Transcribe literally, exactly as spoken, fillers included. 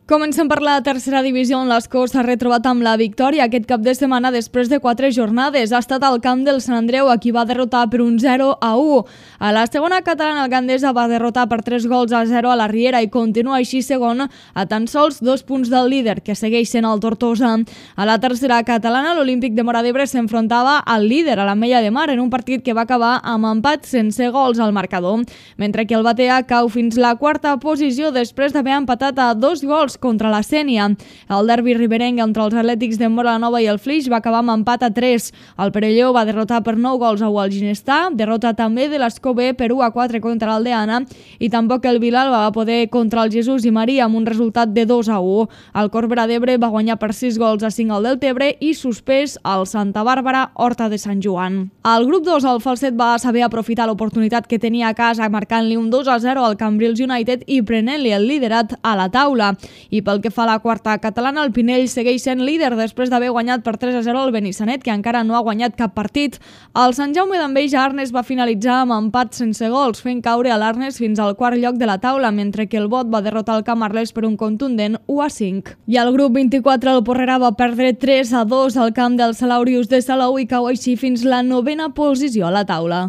Comencem per la tercera divisió, on l'Escó s'ha retrobat amb la victòria aquest cap de setmana després de quatre jornades. Ha estat al camp del Sant Andreu, a qui va derrotar per un zero a u. A la segona catalana, el Gandesa va derrotar per tres gols a zero a la Riera i continua així segon a tan sols dos punts del líder, que segueix sent el Tortosa. A la tercera catalana, l'Olímpic de Móra d'Ebre s'enfrontava al líder, a l'Ametlla de Mar, en un partit que va acabar amb empat sense gols al marcador, mentre que el Batea cau fins la quarta posició després d'haver empatat a dos gols contra la Sénia. El derbi riberenc entre els Atlètics de Móra-la-Nova i el Flix va acabar amb empat a tres. El Perelló va derrotar per nou gols a u al Ginestà, derrota també de l'Escó B per u a quatre contra l'Aldeana, i tampoc el Vilalba va poder contra el Jesús i Maria amb un resultat de dos a u. El Corbera d'Ebre va guanyar per sis gols a cinc al Deltebre i suspès al Santa Bàrbara Horta de Sant Joan. Al grup dos, el Falset va saber aprofitar l'oportunitat que tenia a casa marcant-li un dos a zero al Cambrils United i prenent-li el liderat a la taula. I pel que fa a la quarta catalana, el Pinell segueix sent líder després d'haver guanyat per tres a zero al Benissanet, que encara no ha guanyat cap partit. El Sant Jaume d'Enveja Arnes va finalitzar amb empat sense gols, fent caure a l'Arnes fins al quart lloc de la taula, mentre que el Bot va derrotar el Camarles per un contundent u a cinc. I al grup vint-i-quatre, el Porrera va perdre tres a dos al camp del Salaurius de Salou i cau així fins la novena posició a la taula.